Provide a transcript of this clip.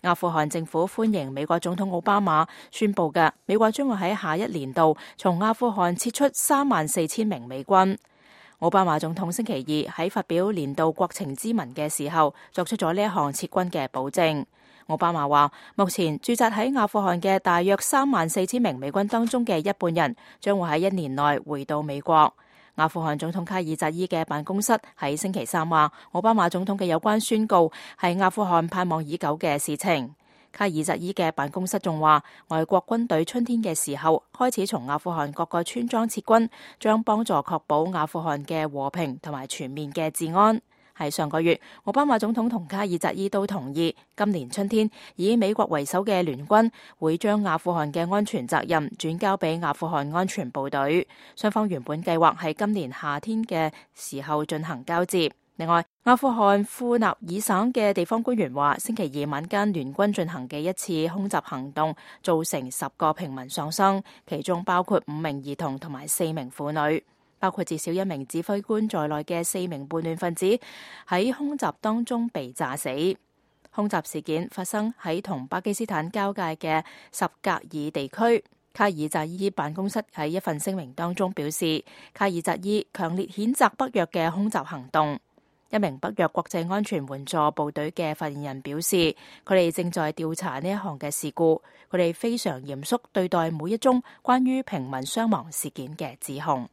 阿富汗政府歡迎美國總統奧巴馬宣布嘅，美國將會喺下一年度從阿富汗撤出34,000名美軍。奧巴馬總統星期二喺發表年度國情咨文嘅時候，作出咗呢一項撤軍嘅保證。奧巴馬話，目前駐紮喺阿富汗嘅大約34,000名美軍當中嘅一半人，將會喺1年內回到美國。阿富汗總統卡爾扎伊嘅辦公室喺星期三話，奧巴馬總統嘅有關宣告係阿富汗盼望已久嘅事情。卡爾扎伊嘅辦公室仲話，外國軍隊春天嘅時候開始從阿富汗各個村莊撤軍，將幫助確保阿富汗嘅和平同埋全面嘅治安。喺上個月，奧巴馬總統同卡爾扎伊都同意，今年春天以美國為首嘅聯軍會將阿富汗嘅安全責任轉交俾阿富汗安全部隊。雙方原本計劃喺今年夏天嘅時候進行交接。另外，阿富汗庫納爾省嘅地方官員話，星期二晚間聯軍進行嘅一次空襲行動造成10個平民喪生，其中包括5名兒童同埋4名婦女。包括至少1名指揮官在內嘅4名叛亂分子喺空襲當中被炸死。空襲事件發生喺同巴基斯坦交界嘅什格爾地區。卡爾扎伊辦公室喺一份聲明當中表示，卡爾扎伊強烈譴責北約嘅空襲行動。一名北約國際安全援助部隊嘅發言人表示，佢哋正在調查呢一項嘅事故，佢哋非常嚴肅對待每一宗關於平民傷亡事件嘅指控。